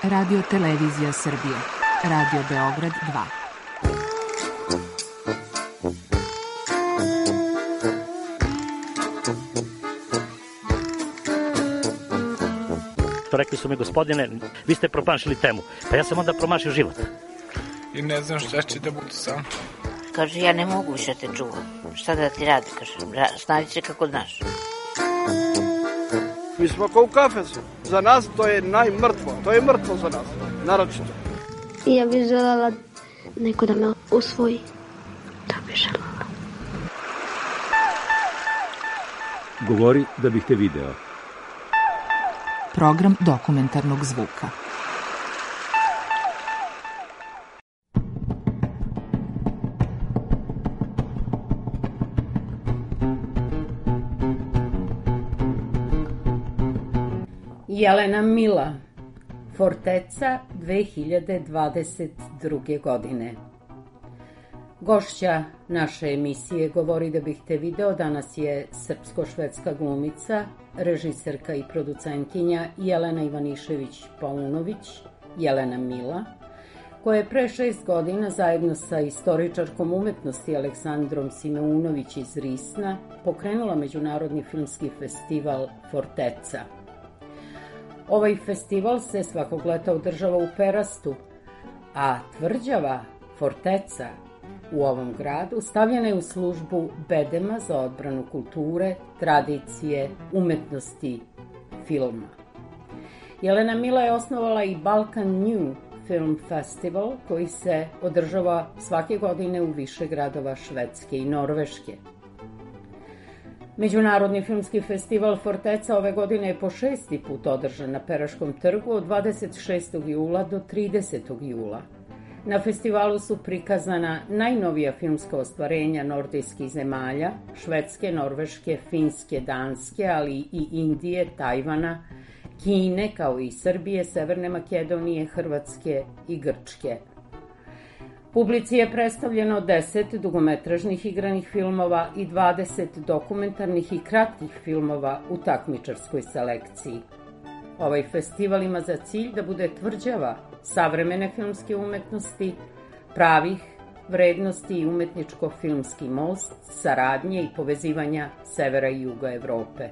Radio Televizija Srbije. Radio Beograd 2. Rekli su mi, gospodine, vi ste promašili temu. Pa ja sam onda promašio život. I ne znam šta će da bude sam. Kaže, ja ne mogu više te čuvam. Šta da ti radi, kaže, snađi se kako znaš. Mi smo kao u kafesu. Za nas to je najmrtvo. To je mrtvo za nas, naročito. Ja bih željela neko da me usvoji. To bih željela. Govori da bih te video. Program dokumentarnog zvuka. Jelena Mila, Forteca 2022. godine. Gošća naše emisije Govori da bih te video danas je srpsko-švedska glumica, režiserka i producentkinja Jelena Ivanišević-Paunović, Jelena Mila, koja je pre 6 godina zajedno sa istoričarkom umetnosti Aleksandrom Simeunović iz Risna pokrenula Međunarodni filmski festival Forteca. Ovaj festival se svakog leta održava u Perastu, a tvrđava Forteca u ovom gradu stavljena je u službu bedema za odbranu kulture, tradicije, umetnosti, filma. Jelena Mila je osnovala i Balkan New Film Festival, koji se održava svake godine u više gradova Švedske i Norveške. Međunarodni filmski festival Forteca ove godine je po 6. put održan na Peraškom trgu od 26. jula do 30. jula. Na festivalu su prikazana najnovija filmska ostvarenja nordijskih zemalja, Švedske, Norveške, Finske, Danske, ali i Indije, Tajvana, Kine, kao i Srbije, Severne Makedonije, Hrvatske i Grčke. Publici je predstavljeno 10 dugometražnih igranih filmova i 20 dokumentarnih i kratkih filmova u takmičarskoj selekciji. Ovaj festival ima za cilj da bude tvrđava savremene filmske umetnosti, pravih vrednosti i umetničko-filmski most, saradnje i povezivanja severa i juga Evrope.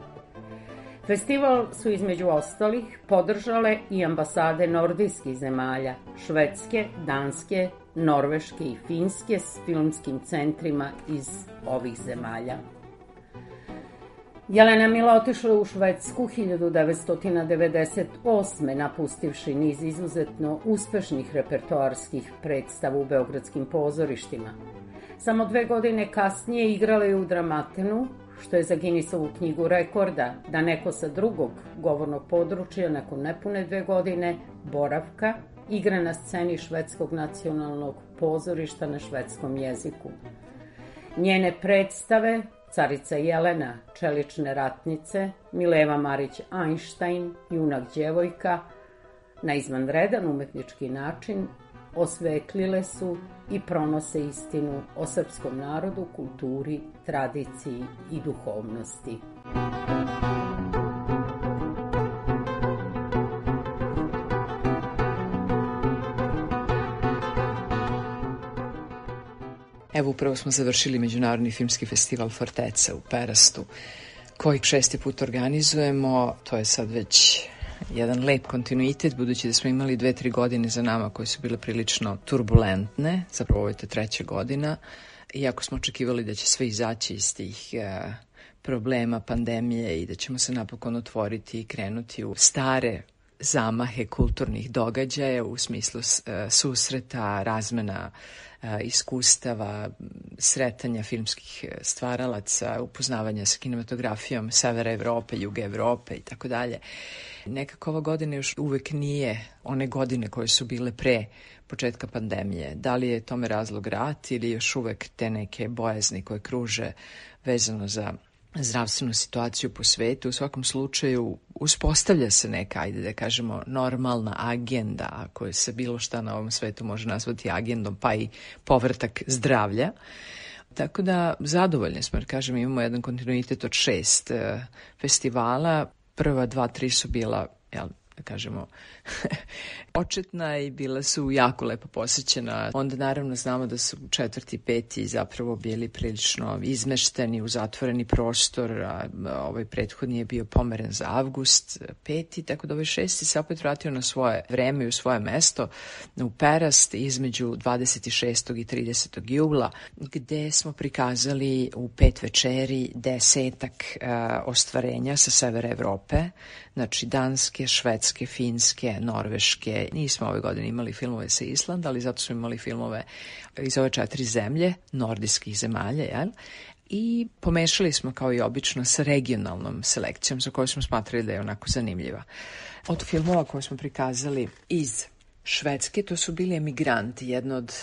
Festival su između ostalih podržale i ambasade nordijskih zemalja, Švedske, Danske, Norveške i Finske s filmskim centrima iz ovih zemalja. Jelena Mila otišla u Švedsku 1998. napustivši niz izuzetno uspešnih repertoarskih predstava u beogradskim pozorištima. Samo 2 godine kasnije igrala je u Dramatenu, što je za Guinnessovu knjigu rekorda da neko sa drugog govornog područja nakon nepune 2 godine boravka igra na sceni Švedskog nacionalnog pozorišta na švedskom jeziku. Njene predstave Carica Jelena, Čelične ratnice, Mileva Marić Einstein, Junak djevojka, na izvanredan umetnički način osvetlile su i pronose istinu o srpskom narodu, kulturi, tradiciji i duhovnosti. Evo, upravo smo završili Međunarodni filmski festival Forteca u Perastu, koji 6. put organizujemo. To je sad već jedan lep kontinuitet, budući da smo imali 2-3 godine za nama koje su bile prilično turbulentne, zapravo ovo je ta 3. godina, iako smo očekivali da će sve izaći iz tih problema, pandemije i da ćemo se napokon otvoriti i krenuti u stare zamahe kulturnih događaja u smislu susreta, razmena iskustava, sretanja filmskih stvaralaca, upoznavanja sa kinematografijom severa Evrope, juga Evrope i tako dalje. Nekako ova godina još uvek nije one godine koje su bile pre početka pandemije. Da li je tome razlog rat ili još uvek te neke bojazni koje kruže vezano za zdravstvenu situaciju po svetu? U svakom slučaju uspostavlja se neka, ajde da kažemo, normalna agenda, ako se bilo šta na ovom svetu može nazvati agendom, pa i povratak zdravlja. Tako da zadovoljni smo, jer kažem, imamo jedan kontinuitet od 6 festivala. Prva 2-3 su bila da kažemo, početna i bila su jako lepo posjećena. Onda naravno znamo da su 4. i 5. zapravo bili prilično izmešteni u zatvoreni prostor, a ovaj prethodni je bio pomeren za avgust 5. Tako da ovaj 6. se opet vratio na svoje vreme i u svoje mesto u Perast između 26. i 30. jula, gde smo prikazali u 5 večeri 10 ostvarenja sa severa Evrope, znači Danske, Švedske, Finske, Norveške. Nismo ove godine imali filmove sa Islanda, ali zato smo imali filmove iz ove 4 zemlje, nordijskih zemalja, jel? I pomešali smo kao i obično sa regionalnom selekcijom za koju smo smatrali da je onako zanimljiva. Od filmova koje smo prikazali iz Švedske, to su bili Emigranti, jedno od,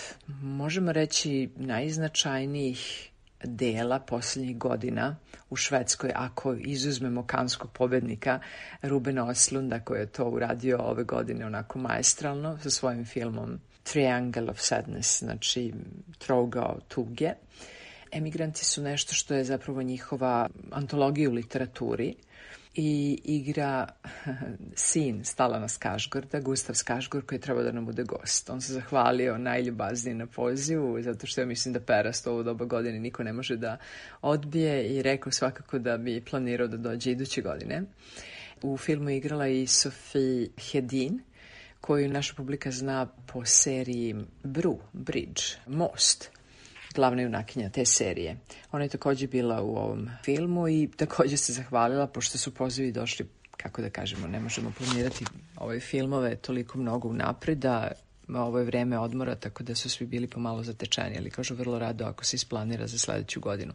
možemo reći, najznačajnijih dela posljednjih godina u Švedskoj, ako izuzmemo kanskog pobednika Rubena Östlunda, koji je to uradio ove godine onako maestralno sa svojim filmom Triangle of Sadness, znači trougao tuge. Emigranti su nešto što je zapravo njihova antologija u literaturi i igra sin Stalana Skarsgårda, Gustav Skarsgård, koji je trebao da nam bude gost. On se zahvalio najljubaznije na pozivu, zato što ja mislim da Perast ovo doba godine niko ne može da odbije i rekao svakako da bi planirao da dođe iduće godine. U filmu je igrala i Sofie Hedin, koju naša publika zna po seriji Bridge, Most, glavna junakinja te serije. Ona je također bila u ovom filmu i također se zahvalila, pošto su pozivi došli, kako da kažemo, ne možemo planirati ove filmove toliko mnogo unapred, da ovo je vreme odmora, tako da su svi bili pomalo zatečeni, ali kažu vrlo rado ako se isplanira za sledeću godinu.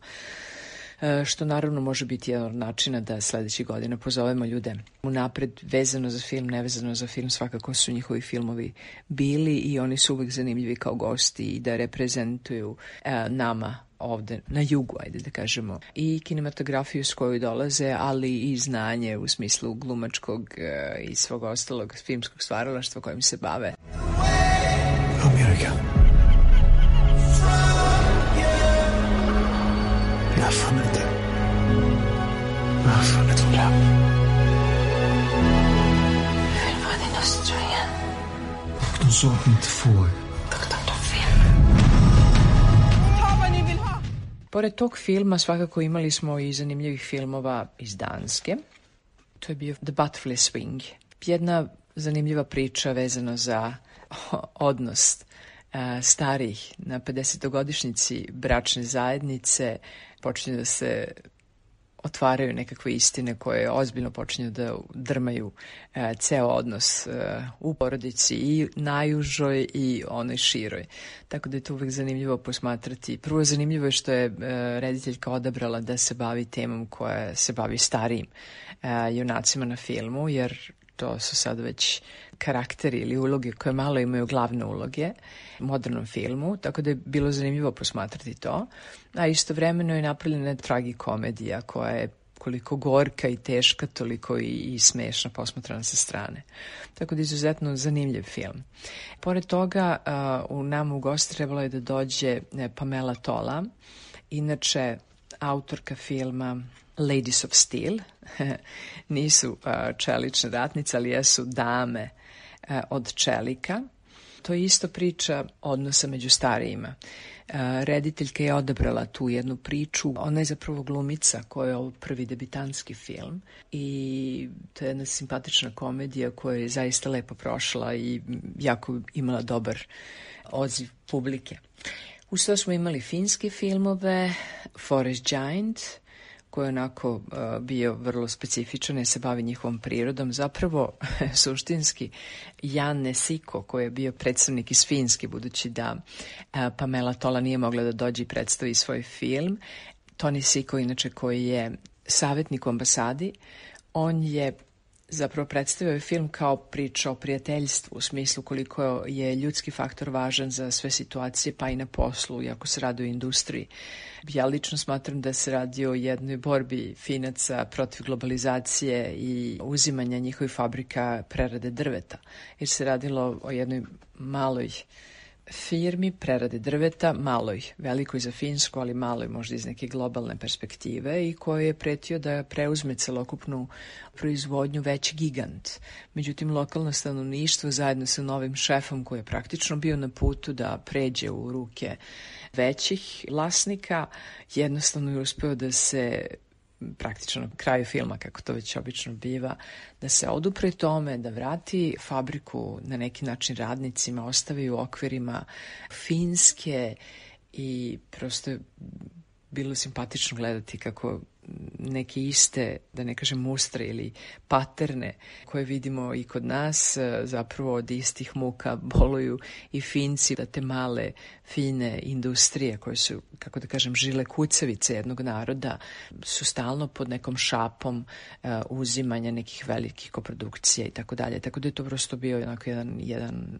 Što naravno može biti jedan od načina da sledeći godina pozovemo ljude unapred, vezano za film, nevezano za film, svakako su njihovi filmovi bili i oni su uvek zanimljivi kao gosti i da reprezentuju nama ovde na jugu, ajde da kažemo, i kinematografiju s koju dolaze, ali i znanje u smislu glumačkog i svog ostalog filmskog stvaralaštva kojim se bave. Amerika. Jag har funnit det. Jag har funnit vår dröm. Jag vill vara din hustru igen. Och de sa att ni inte får. Doktor tar fel. Ta vad ni vill ha. Pored tog filma svakako imali smo i zanimljivih filmova iz Danske. To je bio The Butterfly Swing. Jedna zanimljiva priča vezano za odnos starih na 50-godišnjici bračne zajednice. Počinju da se otvaraju nekakve istine koje ozbiljno počinju da drmaju ceo odnos u porodici i najužoj i onoj široj. Tako da je to uvek zanimljivo posmatrati. Prvo zanimljivo je što je rediteljka odabrala da se bavi temom koja se bavi starijim junacima na filmu, jer to su sad već karakteri ili uloge koje malo imaju glavne uloge u modernom filmu, tako da je bilo zanimljivo posmatrati to. A istovremeno je napravljena tragikomedija koja je koliko gorka i teška, toliko i smešna posmatrana sa strane. Tako da je izuzetno zanimljiv film. Pored toga, u nama u gost trebalo je da dođe Pamela Tola, inače autorka filma Ladies of Steel. Nisu čelične ratnice, ali jesu dame od čelika. To je isto priča odnosa među starijima. Rediteljka je odabrala tu jednu priču. Ona je zapravo glumica koja je ovo prvi debitanski film i to je jedna simpatična komedija koja je zaista lepo prošla i jako imala dobar odziv publike. Uz to smo imali finske filmove, Forest Giant, koji je onako bio vrlo specifičan, jer se bavi njihovom prirodom. Zapravo, suštinski, Janne Siko, koji je bio predstavnik iz Finske, budući da Pamela Tola nije mogla da dođe i predstavi svoj film. Toni Siko, inače, koji je savjetnik u ambasadi, on je zapravo predstavio film kao priča o prijateljstvu, u smislu koliko je ljudski faktor važan za sve situacije, pa i na poslu, iako se radi o industriji. Ja lično smatram da se radi o jednoj borbi Finaca protiv globalizacije i uzimanja njihovih fabrika prerade drveta, jer se radilo o jednoj maloj firmi prerade drveta, maloj, velikoj za Finsku, ali maloj možda iz neke globalne perspektive i koji je pretio da preuzme celokupnu proizvodnju veći gigant. Međutim, lokalno stanovništvo zajedno sa novim šefom koji je praktično bio na putu da pređe u ruke većih vlasnika, jednostavno je uspeo da se praktično na kraju filma, kako to već obično biva, da se odupre tome, da vrati fabriku na neki način radnicima, ostavi u okvirima Finske i prosto je bilo simpatično gledati kako neke iste, da ne kažem mustre ili paterne koje vidimo i kod nas, zapravo od istih muka boluju i Finci, da te male, fine industrije koje su, kako da kažem, žile kucavice jednog naroda su stalno pod nekom šapom uzimanja nekih velikih koprodukcija i tako dalje. Tako da je to prosto bio jedan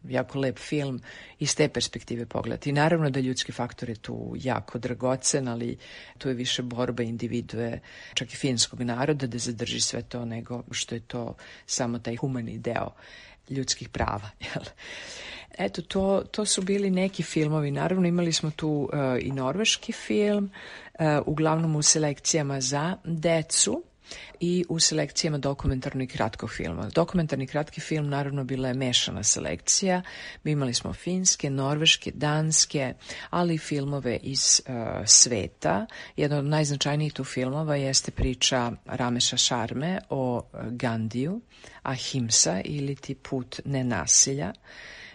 jako lep film iz te perspektive pogledati. I naravno da ljudski faktor je tu jako dragocen, ali tu je više borba individue, čak i finskog naroda, da zadrži sve to nego što je to samo taj humani deo ljudskih prava. Eto, to su bili neki filmovi. Naravno, imali smo tu i norveški film, uglavnom u selekcijama za decu i u selekcijama dokumentarnog i kratkog filma. Dokumentarni kratki film naravno bila je mešana selekcija. Mi imali smo finske, norveške, danske, ali i filmove iz sveta. Jedan od najznačajnijih tu filmova jeste priča Rameša Sharme o Gandhiju, Ahimsa ili ti put nenasilja.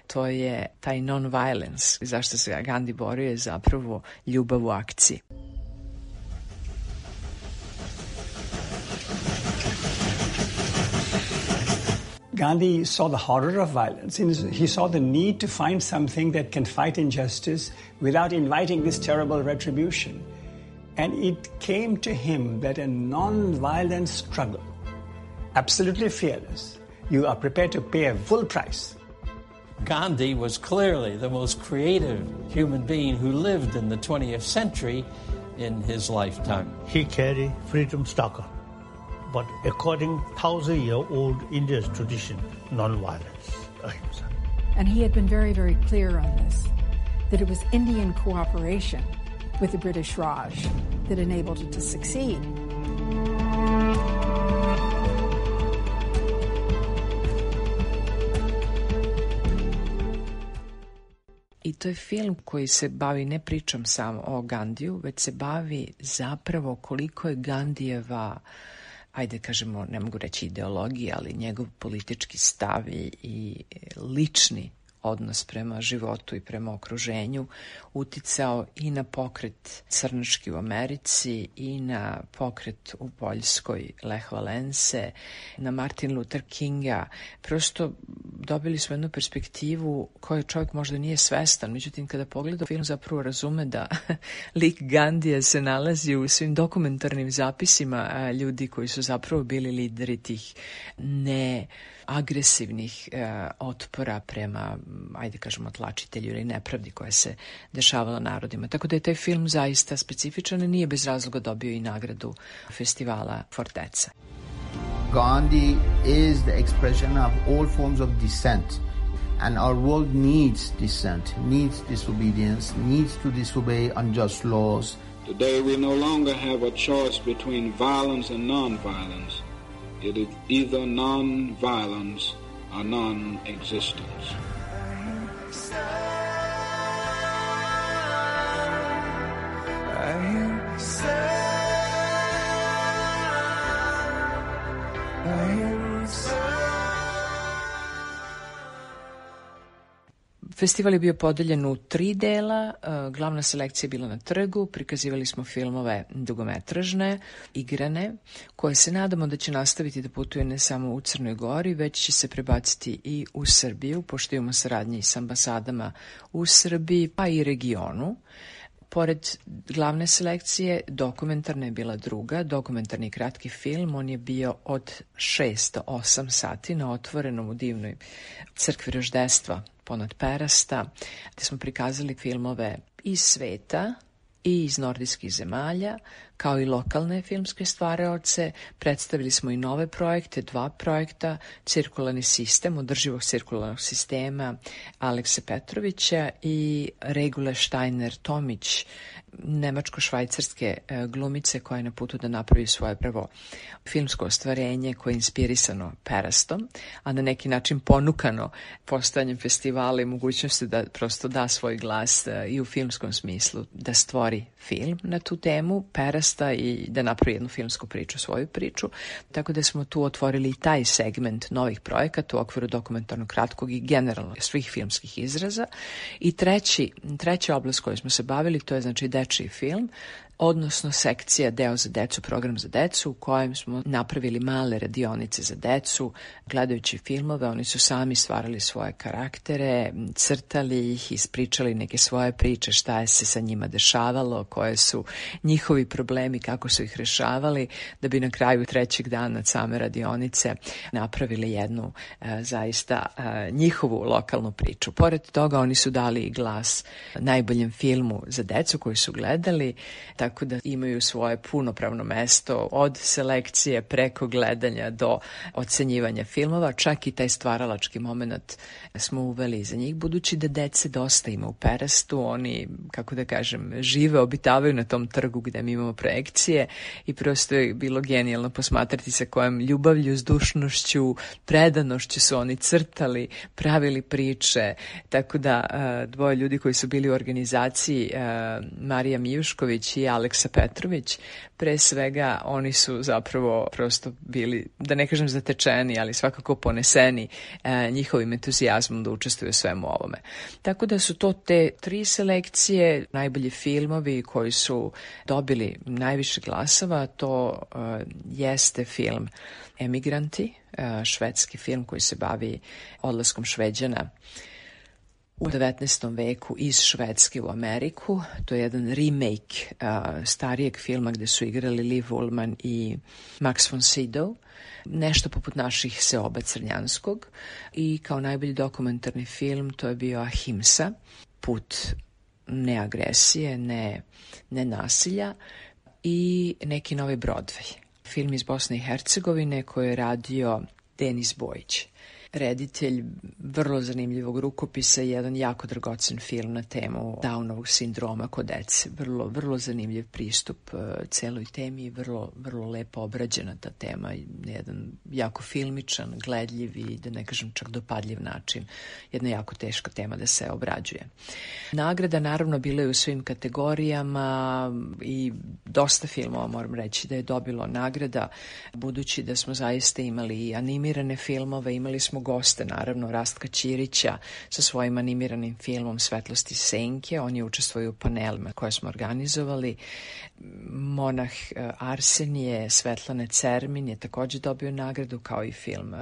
To je taj non-violence. Zašto se Gandhi borio je zapravo ljubav u akciji. Gandhi saw the horror of violence. He saw the need to find something that can fight injustice without inviting this terrible retribution. And it came to him that a non-violent struggle, absolutely fearless, you are prepared to pay a full price. Gandhi was clearly the most creative human being who lived in the 20th century in his lifetime. He carried freedom struggle, but according 1,000-year-old India's tradition, non-violence. And he had been very, very clear on this, that it was Indian cooperation with the British Raj that enabled it to succeed. I to je film koji se bavi ne pričom samo o Gandhiju, već se bavi zapravo koliko je Gandhijeva, ajde kažemo, ne mogu reći ideologija, ali njegov politički stav i lični odnos prema životu i prema okruženju uticao i na pokret crnački u Americi i na pokret u Poljskoj Lech Walesa, na Martin Luther Kinga. Prosto dobili smo jednu perspektivu koju čovjek možda nije svestan, međutim kada pogleda film zapravo razume da lik Gandhija se nalazi u svim dokumentarnim zapisima ljudi koji su zapravo bili lideri tih neagresivnih otpora prema, ajde kažemo, tlačitelju ili nepravdi koja se dešavala narodima. Tako da je taj film zaista specifičan i nije bez razloga dobio i nagradu festivala Forteca. Gandhi is the expression of all forms of dissent, and our world needs dissent, needs disobedience, needs to disobey unjust laws. Today we no longer have a choice between violence and non-violence. It is either non-violence or non-existence. Festival je bio podeljen u 3 dela, glavna selekcija je bila na trgu, prikazivali smo filmove dugometražne, igrane, koje se nadamo da će nastaviti da putuje ne samo u Crnoj Gori, već će se prebaciti i u Srbiju, pošto imamo saradnji s ambasadama u Srbiji, pa i regionu. Pored glavne selekcije, dokumentarna je bila druga, dokumentarni kratki film, on je bio od 6 do 8 sati na otvorenom u divnoj crkvi Roždestva ponad Perasta, gde smo prikazali filmove iz sveta i iz nordijskih zemalja, kao i lokalne filmske stvaraoce. Predstavili smo i nove projekte, 2 projekta, cirkularni sistem, održivog cirkularnog sistema Alekse Petrovića i Regule Steiner-Tomić, nemačko-švajcarske glumice koja je na putu da napravi svoje prvo filmsko ostvarenje koje je inspirisano Perastom, a na neki način ponukano postojanjem festivala i mogućnosti da prosto da svoj glas i u filmskom smislu, da stvori film na tu temu Perasta i da napravi jednu filmsku priču, svoju priču. Tako da smo tu otvorili i taj segment novih projekata u okviru dokumentarnog kratkog i generalno svih filmskih izraza. I treća oblast koju smo se bavili, to je znači dečiji film, odnosno sekcija Deo za decu, program za decu, u kojem smo napravili male radionice za decu, gledajući filmove. Oni su sami stvarali svoje karaktere, crtali ih, ispričali neke svoje priče, šta je se sa njima dešavalo, koje su njihovi problemi, kako su ih rešavali, da bi na kraju 3. dana same radionice napravili jednu zaista njihovu lokalnu priču. Pored toga oni su dali i glas najboljem filmu za decu koji su gledali, tako da imaju svoje punopravno mesto od selekcije preko gledanja do ocenjivanja filmova. Čak i taj stvaralački moment smo uveli za njih, budući da dece dosta ima u Perastu. Oni, kako da kažem, žive, obitavaju na tom trgu gde mi imamo projekcije i prosto je bilo genijalno posmatrati sa kojom ljubavlju, zdušnošću, predanošću su oni crtali, pravili priče. Tako da 2 ljudi koji su bili u organizaciji, Marija Mijušković i Aleksa Petrović, pre svega oni su zapravo prosto bili, da ne kažem zatečeni, ali svakako poneseni njihovim entuzijazmom da učestvuju u svemu ovome. Tako da su to te 3 selekcije, najbolji filmovi koji su dobili najviše glasova. To jeste film Emigranti, švedski film koji se bavi odlaskom Šveđana u 19. veku iz Švedske u Ameriku. To je jedan remake starijeg filma gde su igrali Liv Ullmann i Max von Sydow. Nešto poput naših Seoba Crnjanskog. I kao najbolji dokumentarni film to je bio Ahimsa, put neagresije, ne nasilja, i neki novi Broadway. Film iz Bosne i Hercegovine koji je radio Denis Bojić. Reditelj vrlo zanimljivog rukopisa i jedan jako dragocen film na temu Downovog sindroma kod dece. Vrlo zanimljiv pristup celoj temi i vrlo lepo obrađena ta tema. Jedan jako filmičan, gledljiv i da ne kažem čak dopadljiv način. Jedna jako teška tema da se obrađuje. Nagrada naravno bila je u svim kategorijama i dosta filmova moram reći da je dobilo nagrada, budući da smo zaista imali i animirane filmove, imali smo goste, naravno, Rastka Ćirića sa svojim animiranim filmom Svetlosti senke. On je učestvovao u panelima koje smo organizovali. Monah Arsenije, Svetlane Cermin je također dobio nagradu, kao i film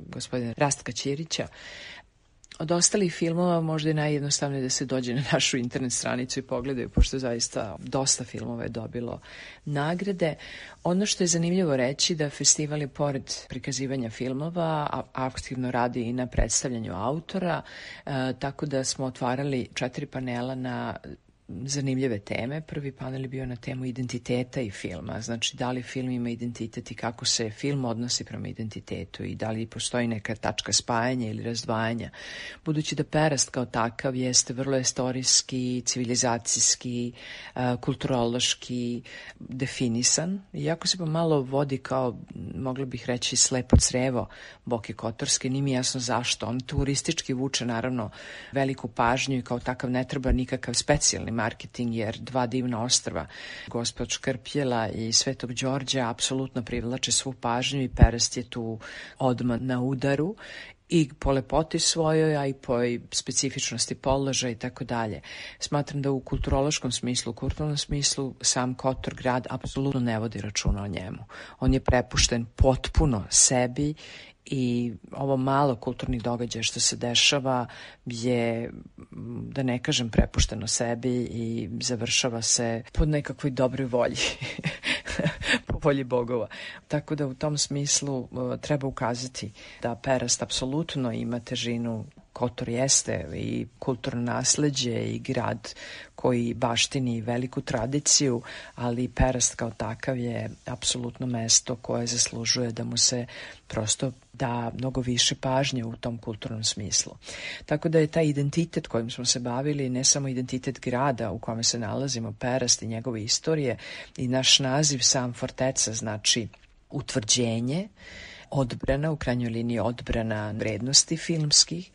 gospodina Rastka Ćirića. Od ostalih filmova možda je najjednostavnije da se dođe na našu internet stranicu i pogledaju, pošto zaista dosta filmova je dobilo nagrade. Ono što je zanimljivo reći da festival je pored prikazivanja filmova aktivno radi i na predstavljanju autora, tako da smo otvarali 4 panela na zanimljive teme. Prvi panel je bio na temu identiteta i filma, znači da li film ima identitet i kako se film odnosi prema identitetu i da li postoji neka tačka spajanja ili razdvajanja. Budući da Perast kao takav jeste vrlo istorijski, civilizacijski, kulturološki definisan, iako se pa malo vodi kao, mogla bih reći, slepo crevo Boke Kotorske, nije mi jasno zašto. On turistički vuče naravno veliku pažnju i kao takav ne treba nikakav specijalni marketing, jer 2 divna ostrva, Gospod Škrpjela i Svetog Đorđa, apsolutno privlače svu pažnju i Perast je tu odmah na udaru i po lepoti svojoj, a i po specifičnosti položaja i tako dalje. Smatram da u kulturološkom smislu, u kulturnom smislu, sam Kotor grad apsolutno ne vodi računa o njemu. On je prepušten potpuno sebi i ovo malo kulturnih događaja što se dešava je, da ne kažem, prepušteno sebi i završava se po nekakvoj dobroj volji, po volji bogova. Tako da u tom smislu treba ukazati da Perast apsolutno ima težinu. Kotor jeste i kulturno nasleđe i grad koji baštini veliku tradiciju, ali Perast kao takav je apsolutno mesto koje zaslužuje da mu se prosto da mnogo više pažnje u tom kulturnom smislu. Tako da je taj identitet kojim smo se bavili ne samo identitet grada u kome se nalazimo, Perast i njegove istorije, i naš naziv sam Forteca znači utvrđenje, odbrana, u krajnjoj liniji odbrana vrednosti filmskih.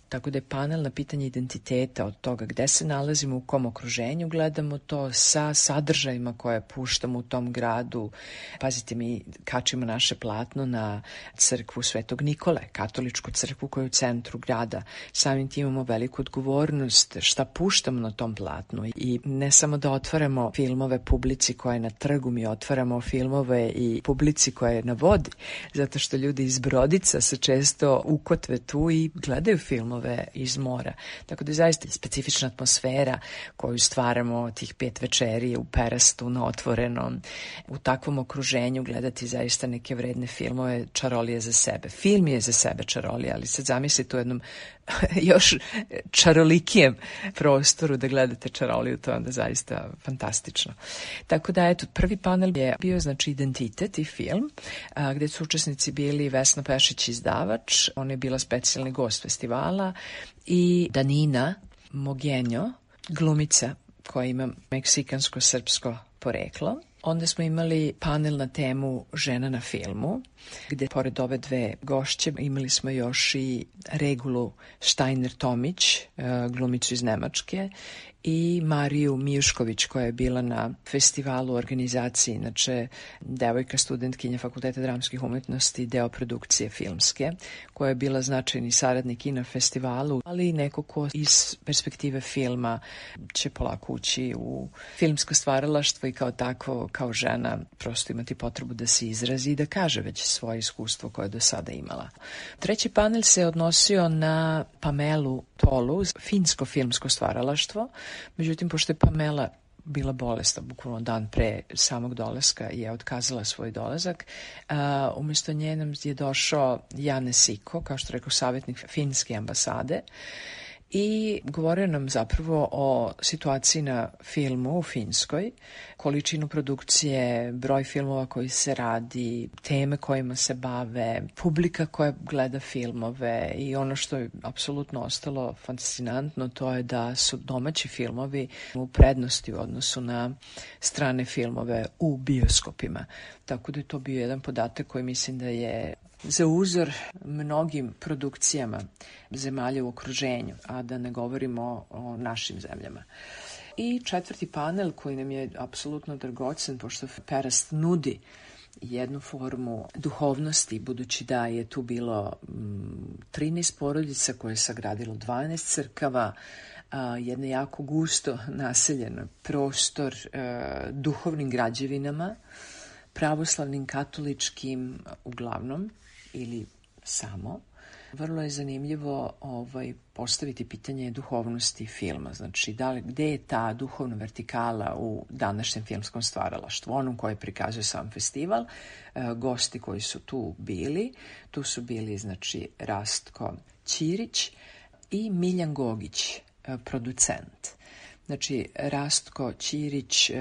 Tako da je panel na pitanje identiteta, od toga gde se nalazimo, u kom okruženju gledamo to, sa sadržajima koje puštamo u tom gradu. Pazite, mi kačimo naše platno na crkvu Svetog Nikole, katoličku crkvu koja je u centru grada. Samim tim imamo veliku odgovornost šta puštamo na tom platnu. I ne samo da otvaramo filmove publici koja je na trgu, mi otvaramo filmove i publici koja je na vodi, zato što ljudi iz Brodica se često ukotve tu i gledaju filmove iz mora. Tako da je zaista specifična atmosfera koju stvaramo tih 5 večeri u Perastu na otvorenom. U takvom okruženju gledati zaista neke vredne filmove, čarolije za sebe. Film je za sebe čarolija, ali sad zamislite u jednom još čarolikijem prostoru da gledate čaroliju, to je onda zaista fantastično. Tako da, eto, prvi panel je bio znači identitet i film, gde su učesnici bili Vesna Pešić, izdavač, ona je bila specijalni gost festivala, i Danina Mogenjo, glumica koja ima meksikansko-srpsko poreklo. Onda smo imali panel na temu žena na filmu, gde pored ove 2 gošće imali smo još i Regulu Steiner-Tomić, glumicu iz Nemačke, i Mariju Mijušković koja je bila na festivalu u organizaciji, inače devojka studentkinja Fakulteta dramskih umetnosti, deo produkcije filmske, koja je bila značajni saradnik i na festivalu, ali i neko ko iz perspektive filma će polako ući u filmsko stvaralaštvo i kao tako, kao žena, prosto imati potrebu da se izrazi i da kaže već svoje iskustvo koje je do sada imala. Treći panel se odnosio na Pamelu Tolu, finsko filmsko stvaralaštvo. Međutim, pošto je Pamela bila bolesna, bukvalno dan pre samog dolaska je otkazala svoj dolazak, umjesto nje nam je došao Jane Siko, kao što rekao, savjetnik finske ambasade, i govorio nam zapravo o situaciji na filmu u Finskoj, količinu produkcije, broj filmova koji se radi, teme kojima se bave, publika koja gleda filmove, i ono što je apsolutno ostalo fascinantno, to je da su domaći filmovi u prednosti u odnosu na strane filmove u bioskopima. Tako da je to bio jedan podatak koji mislim da je za uzor mnogim produkcijama zemalja u okruženju, a da ne govorimo o našim zemljama. I četvrti panel koji nam je apsolutno dragocen, pošto Perast nudi jednu formu duhovnosti, budući da je tu bilo 13 porodica koje je sagradilo 12 crkava, jedno jako gusto naseljen prostor duhovnim građevinama, pravoslavnim, katoličkim uglavnom, ili samo. Vrlo je zanimljivo postaviti pitanje duhovnosti filma. Znači, gde je ta duhovna vertikala u današnjem filmskom stvaralaštvu, onom koje prikazuje sam festival. Gosti koji su tu bili, tu bili znači Rastko Ćirić i Miljan Gogić, producent. Znači, Rastko Ćirić,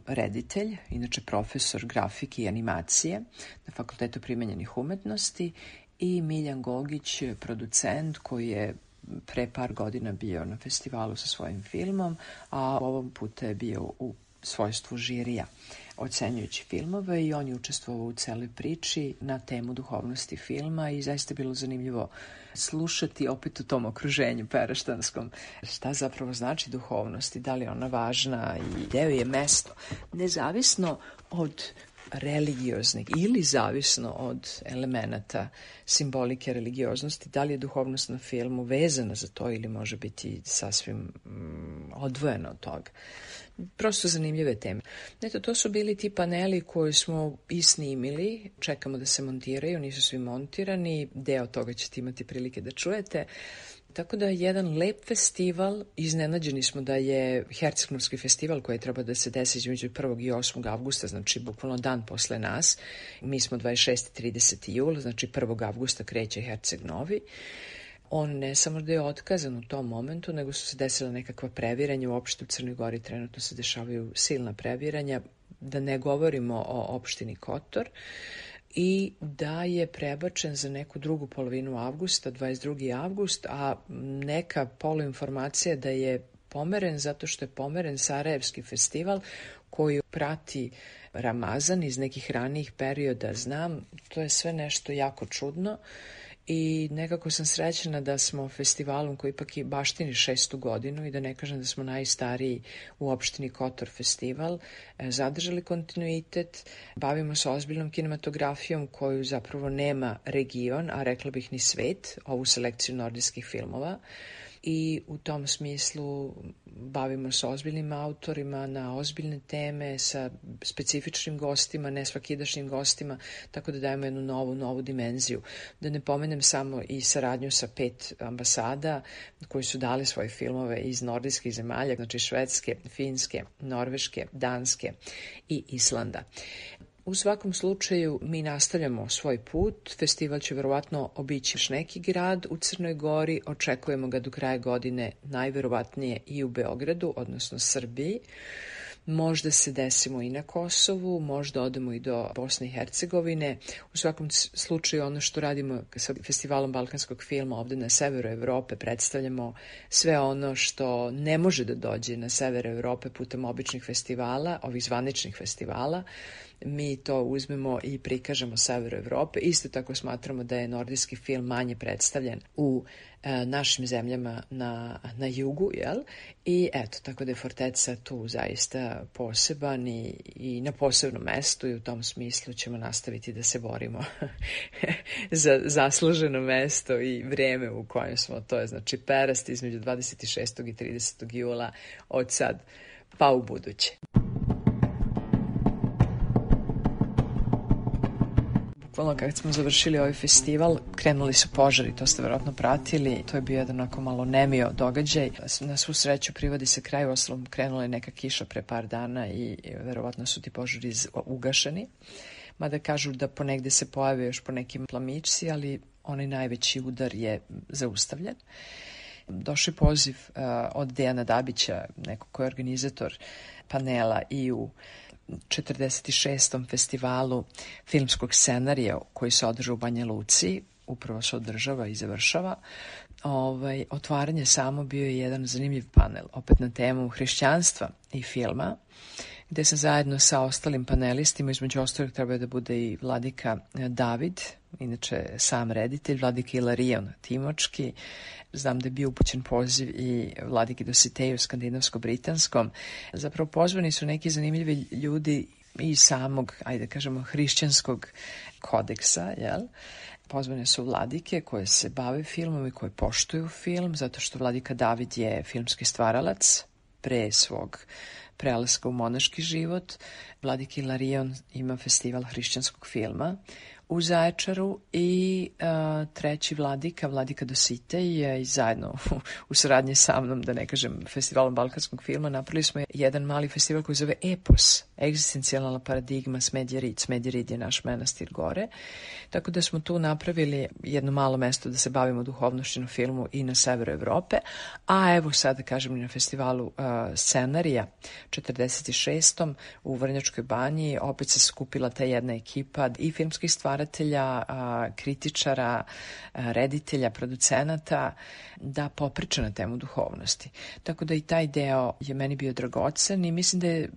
reditelj, inače profesor grafike i animacije na Fakultetu primenjenih umetnosti, i Miljan Gogić, producent koji je pre par godina bio na festivalu sa svojim filmom, a ovom puta je bio u svojstvu žirija ocenjujući filmove, i on je učestvovao u celoj priči na temu duhovnosti filma, i zaista je bilo zanimljivo slušati opet u tom okruženju peraštanskom šta zapravo znači duhovnost i da li je ona važna i gde je mesto, nezavisno od religioznih ili zavisno od elemenata simbolike religioznosti, da li je duhovnost na filmu vezana za to ili može biti sasvim odvojena od toga. Prosto zanimljive teme. Eto, to su bili ti paneli koje smo i snimili, čekamo da se montiraju, nisu svi montirani, deo toga ćete imati prilike da čujete. Tako da jedan lep festival, iznenađeni smo da je Herceg-Novski festival koji treba da se desi između 1. i 8. avgusta, znači bukvalno dan posle nas. Mi smo 26. i 30. jula, znači 1. avgusta kreće Herceg-Novi. On ne samo da je otkazan u tom momentu, nego su se desila nekakva previranja. Uopšte u Crnoj Gori trenutno se dešavaju silna previranja, da ne govorimo o opštini Kotor, i da je prebačen za neku drugu polovinu avgusta, 22. avgust, a neka poluinformacija da je pomeren zato što je pomeren Sarajevski festival koji prati Ramazan iz nekih ranijih perioda. Znam, to je sve nešto jako čudno i nekako sam srećena da smo festivalom koji ipak i baštini 6. godinu i da ne kažem da smo najstariji u opštini Kotor festival, zadržali kontinuitet, bavimo se ozbiljnom kinematografijom koju zapravo nema region, a rekla bih ni svet, ovu selekciju nordijskih filmova. I u tom smislu bavimo se ozbiljnim autorima na ozbiljne teme sa specifičnim gostima, ne svakidašnjim gostima, tako da dajemo jednu novu dimenziju. Da ne pomenem samo i saradnju sa 5 ambasada koji su dali svoje filmove iz nordijskih zemalja, znači Švedske, Finske, Norveške, Danske i Islanda. U svakom slučaju mi nastavljamo svoj put. Festival će verovatno obići još neki grad u Crnoj Gori. Očekujemo ga do kraja godine najverovatnije i u Beogradu, odnosno Srbiji. Možda se desimo i na Kosovu, možda odemo i do Bosne i Hercegovine. U svakom slučaju ono što radimo sa Festivalom balkanskog filma ovde na severu Evrope, predstavljamo sve ono što ne može da dođe na sever Evrope putem običnih festivala, ovih zvaničnih festivala. Mi to uzmemo i prikažemo severu Evrope. Isto tako smatramo da je nordijski film manje predstavljen u našim zemljama na jugu, jel? I eto, tako da je Forteca tu zaista poseban i na posebnom mestu i u tom smislu ćemo nastaviti da se borimo za zasluženo mesto i vreme u kojem smo. To je znači Perast između 26. i 30. jula od sad pa u buduće. Kad smo završili ovaj festival, krenuli su požari, to ste verovatno pratili, to je bio jedan onako malo nemio događaj. Na svu sreću privodi se kraj, uostalom krenula je neka kiša pre par dana i verovatno su ti požari ugašeni. Mada kažu da ponegde se pojave još po nekim plamičci, ali onaj najveći udar je zaustavljen. Došao je poziv od Dejana Dabića, neko ko je organizator panela i u 46. festivalu filmskog scenarija koji se održava u Banja Luci, upravo se održava i završava. Otvaranje samo bio je jedan zanimljiv panel, opet na temu hrišćanstva i filma, gde sam zajedno sa ostalim panelistima, između ostalih treba da bude i vladika David, inače sam reditelj, vladika Ilarion Timočki, znam da je bio upućen poziv i vladiki Dositeju skandinavsko-britanskom. Zapravo pozvani su neki zanimljivi ljudi iz samog, ajde kažemo, hrišćanskog kodeksa, jel? Pozvane su vladike koje se bave filmom i koje poštuju film, zato što vladika David je filmski stvaralac pre svog prelaska u monaški život. Vladika Ilarion ima festival hrišćanskog filma u Zaječaru i treći vladika Dositej je zajedno u saradnji sa mnom, da ne kažem, festivalom balkanskog filma, napravili smo jedan mali festival koji zove Epos, egzistencijalna paradigma Smedjerid. Smedjerid je naš manastir gore, tako da smo tu napravili jedno malo mesto da se bavimo duhovnošću na filmu i na severu Evrope, a evo sad da kažem i na festivalu scenarija 46. u Vrnjačkoj banji, opet se skupila ta jedna ekipa i filmskih stvaratelja, kritičara, reditelja, producenata, da popriča na temu duhovnosti. Tako da i taj deo je meni bio dragocen i mislim da je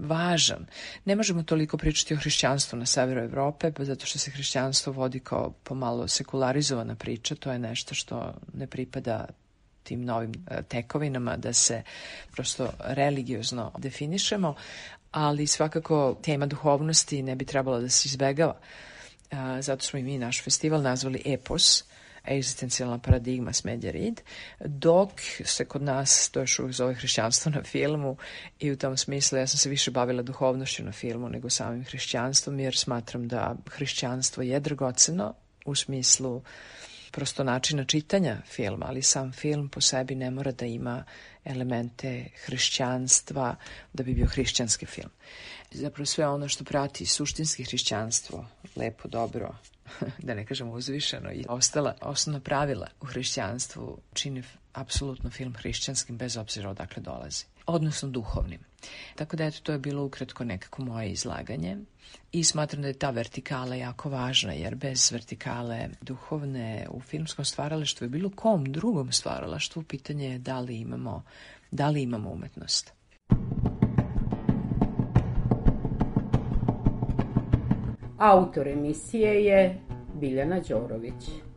važan. Ne možemo toliko pričati o hrišćanstvu na severu Evrope, zato što se hrišćanstvo vodi kao pomalo sekularizovana priča, to je nešto što ne pripada tim novim tekovinama, da se prosto religiozno definišemo, ali svakako tema duhovnosti ne bi trebala da se izbegava. Zato smo i mi naš festival nazvali Epos, egzistencijalna paradigma Smedjerid, dok se kod nas to još uvijek zove hrišćanstvo na filmu i u tom smislu ja sam se više bavila duhovnošću na filmu nego samim hrišćanstvom, jer smatram da hrišćanstvo je dragoceno u smislu prosto načina čitanja filma, ali sam film po sebi ne mora da ima elemente hrišćanstva da bi bio hrišćanski film. Zapravo sve ono što prati suštinski hrišćanstvo, lepo, dobro, da ne kažem uzvišeno, i ostala osnovna pravila u hrišćanstvu čini apsolutno film hrišćanskim bez obzira odakle dolazi, odnosno duhovnim. Tako da eto, to je bilo ukratko nekako moje izlaganje i smatram da je ta vertikala jako važna, jer bez vertikale duhovne u filmskom stvaralaštvu i bilo kom drugom stvaralaštvu pitanje je da li imamo umetnost. Autor emisije je Biljana Đorović.